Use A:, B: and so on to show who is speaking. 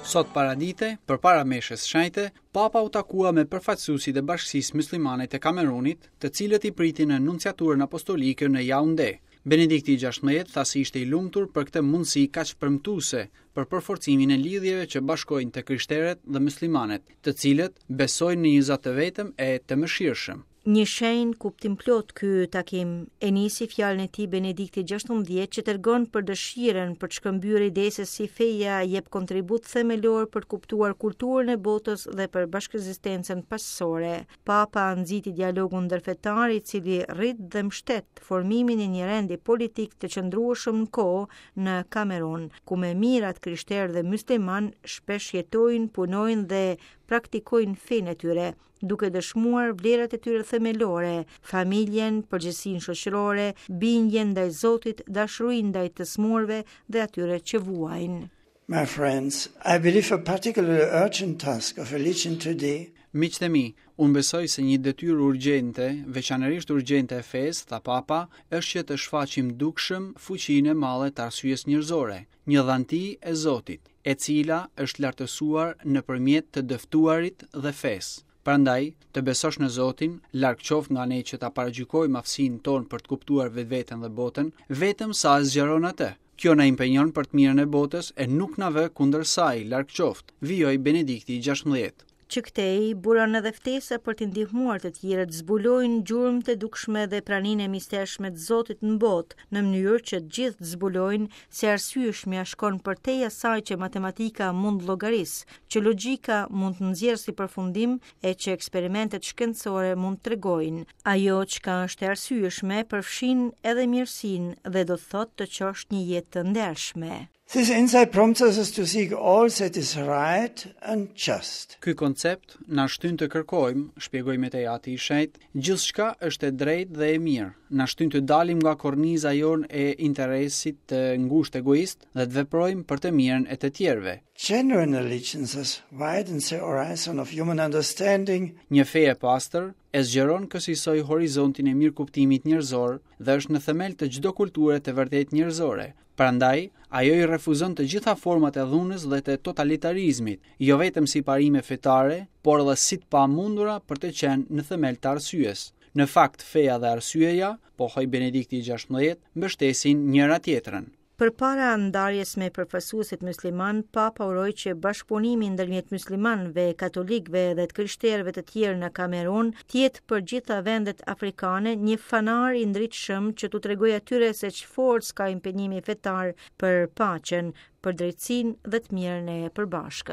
A: Sot paradite, përpara meshës shenjte, Papa u takua me përfaqësuesit e Bashkësisë Myslimane të Kamerunit, të cilët i priti në Nunciaturën Apostolike në Jaunde. Benedikti i XVI tha se ishte i lumtur për këtë mundësi kaq premtuese për përforcimin e lidhjeve që bashkojnë të krishterët dhe myslimanët, të cilët besojnë në një Zot të vetëm e të mëshirshëm.
B: Një shenjë kuptimplotë ky takim, e nisi fjalën e tij Benedikti XVI që tregon për dëshirën për të shkëmbyer ide se si feja jep kontribut themelor për të kuptuar kulturën e botës dhe për bashkëekzistencën paqësore. Papa nxiti dialogun ndërfetar i cili rrit dhe mbështet formimin e një rendi politik të qëndrueshëm në kohë në Kamerun, ku me mijëra të krishterë dhe myslimanë shpesh jetojnë, punojnë dhe praktikojnë fenë e tyre. duke dëshmuar vlerat e tyre themelore, familjen, përgjegjësinë shoqërore, bindjen ndaj Zotit, dashurinë ndaj të sëmurëve dhe atyre që
C: vuajnë. My friends, I believe a particularly urgent task of religion today
A: Miqtë e mi, unë besoj se një detyrë urgjente, veçanërisht urgjente e fesë, tha Papa, është që të shfaqim dukshëm fuqinë e madhe të arsyes njerëzore, një dhanti e Zotit, e cila është lartësuar nëpërmjet të dëftuarit dhe fesë. Prandaj, të besosh në Zotin, larg qoftë nga ne që ta paragjykojmë aftësinë tonë për të kuptuar vetveten dhe botën, vetëm sa e zgjeron atë. Kjo na impenjon për të mirën e botës e nuk na vë kundër saj, larg qoftë, vijoi Benedikti i XVI.
B: Që këtej buron edhe ftesa për t'i ndihmuar të tjerët të zbulojnë gjurmët e dukshme dhe praninë e mistershme të Zotit në botë, në mënyrë që të gjithë të zbulojnë se e arsyeshmja shkon përtej asaj që matematika mund të llogarisë, që logjika mund të nxjerrë si përfundim e që eksperimentet shkencore mund të tregojnë. Ajo çka është e arsyeshme përfshin edhe mirësinë dhe do të thotë të çosh një jetë të ndershme.
C: This insight prompts us to seek all that is right and just.
A: Ky koncept na shtyn të kërkojmë, shpjegoi më tej Ati i Shenjtë, gjithçka është e drejtë dhe e mirë, na shtyn të dalim nga korniza jonë e interesit të ngushtë egoist dhe të veprojmë për të mirën e të tjerëve.
C: Genuine religion thus widens the horizon of human understanding.
A: Një fe e pastër e zgjeron kësisoj horizontin e mirëkuptimit njerëzor dhe është në themel të çdo kulture të vërtetë njerëzore, Prandaj, ajo i refuzon të gjitha format e dhunës dhe të totalitarizmit, jo vetëm si parime fetare, por edhe si të pamundura për të qenë në themel të arsyes. Në fakt, feja dhe arsyeja, pohoi Benedikti i XVI, mbështesin njëra-tjetrën.
B: Përpara ndarjes me përfaqësuesit myslimanë, Papa uroi që bashkëpunimi ndërmjet myslimanëve, katolikëve dhe të krishterëve të tjerë në Kamerun të jetë për gjitha vendet afrikane një fanar i ndritshëm që t'u tregojë atyre se ç'forcë ka impenjimi fetar për paqen, për drejtësinë dhe të mirën e përbashkët.